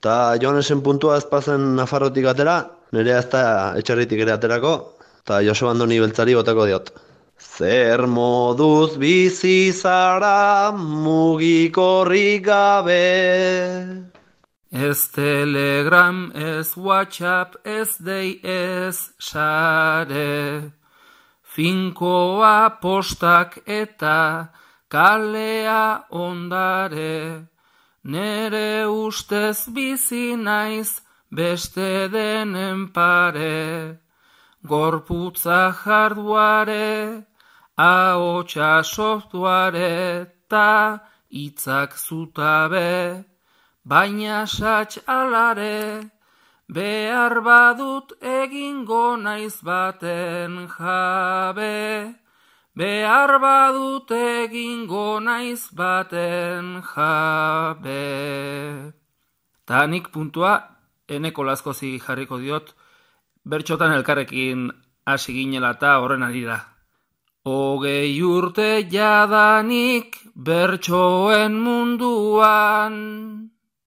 Ta Joanesen puntua ez pazen Nafarrotik atera, nerea ez da etxerritik ere aterako, eta Joseba Andoni beltzari botako diot. Zer moduz bizi zara mugikorrik gabe. Ez Telegram, ez WhatsApp, ez dei, ez sare. Finkoa postak eta kalea ondare. Nere ustez bizi naiz beste denen pare. Gorputza jarduare, ahotsa software ta hitzak zutabe. Baina sats alare, behar badut egingo naiz baten jabe. Behar badut egingo naiz baten jabe. Ta nik puntua eneko lazkozi jarriko diot, bertxotan elkarrekin hasi ginela eta horren arira. 20 urte jadanik bertsoen munduan,